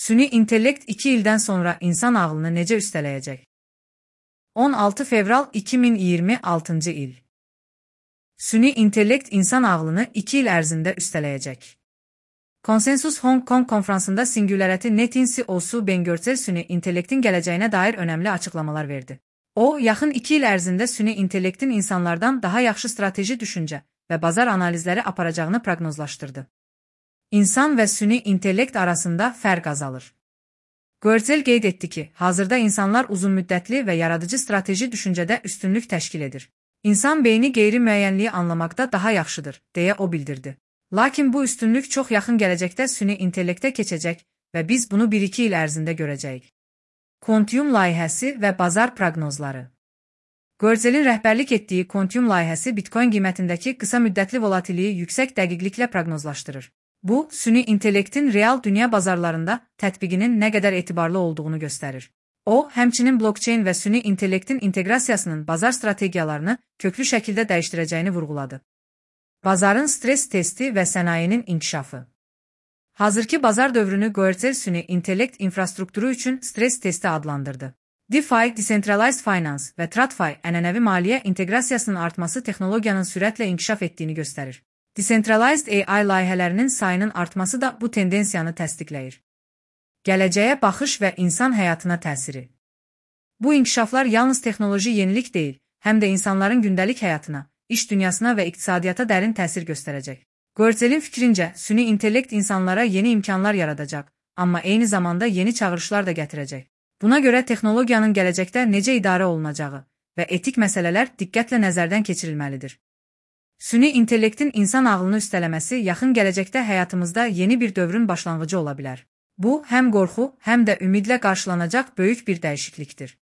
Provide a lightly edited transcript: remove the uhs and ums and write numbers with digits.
Süni intellekt 2 ildən sonra insan ağlını necə üstələyəcək? 16 fevral 2026 il. Süni intellekt insan ağlını 2 il ərzində üstələyəcək. Konsensus Hong Kong konfransında Singularity Netin CEO-su Ben Görçel süni intellektin gələcəyinə dair önəmli açıqlamalar verdi. O, yaxın 2 il ərzində süni intellektin insanlardan daha yaxşı strateji düşüncə və bazar analizləri aparacağını proqnozlaşdırdı. İnsan və süni intellekt arasında fərq azalır. Görçel qeyd etdi ki, hazırda insanlar uzunmüddətli və yaradıcı strateji düşüncədə üstünlük təşkil edir. İnsan beyni qeyri-müəyyənliyi anlamaqda daha yaxşıdır, deyə o bildirdi. Lakin bu üstünlük çox yaxın gələcəkdə süni intellektə keçəcək və biz bunu 1-2 il ərzində görəcəyik. Quantium layihəsi və bazar proqnozları. Görçelin rəhbərlik etdiyi Quantium layihəsi Bitcoin qiymətindəki qısa müddətli volatilliyi yüksək dəqiqliklə proqnozlaşdırır. Bu, süni intellektin real dünya bazarlarında tətbiqinin nə qədər etibarlı olduğunu göstərir. O, həmçinin blockchain və süni intellektin inteqrasiyasının bazar strategiyalarını köklü şəkildə dəyişdirəcəyini vurğuladı. Bazarın stres testi və sənayenin inkişafı. Hazırki bazar dövrünü Görçel süni intellekt infrastrukturu üçün stres testi adlandırdı. DeFi, Decentralized Finance və TradFi ənənəvi maliyyə inteqrasiyasının artması texnologiyanın sürətlə inkişaf etdiyini göstərir. Decentralized AI layihələrinin sayının artması da bu tendensiyanı təsdiqləyir. Gələcəyə baxış və insan həyatına təsiri. Bu inkişaflar yalnız texnoloji yenilik deyil, həm də insanların gündəlik həyatına, iş dünyasına və iqtisadiyyata dərin təsir göstərəcək. Görçelin fikrincə, süni intellekt insanlara yeni imkanlar yaradacaq, amma eyni zamanda yeni çağırışlar da gətirəcək. Buna görə texnologiyanın gələcəkdə necə idarə olunacağı və etik məsələlər diqqətlə nəzərdən keçirilməlidir. Süni intellektin insan ağlını üstələməsi yaxın gələcəkdə həyatımızda yeni bir dövrün başlanğıcı ola bilər. Bu, həm qorxu, həm də ümidlə qarşılanacaq böyük bir dəyişiklikdir.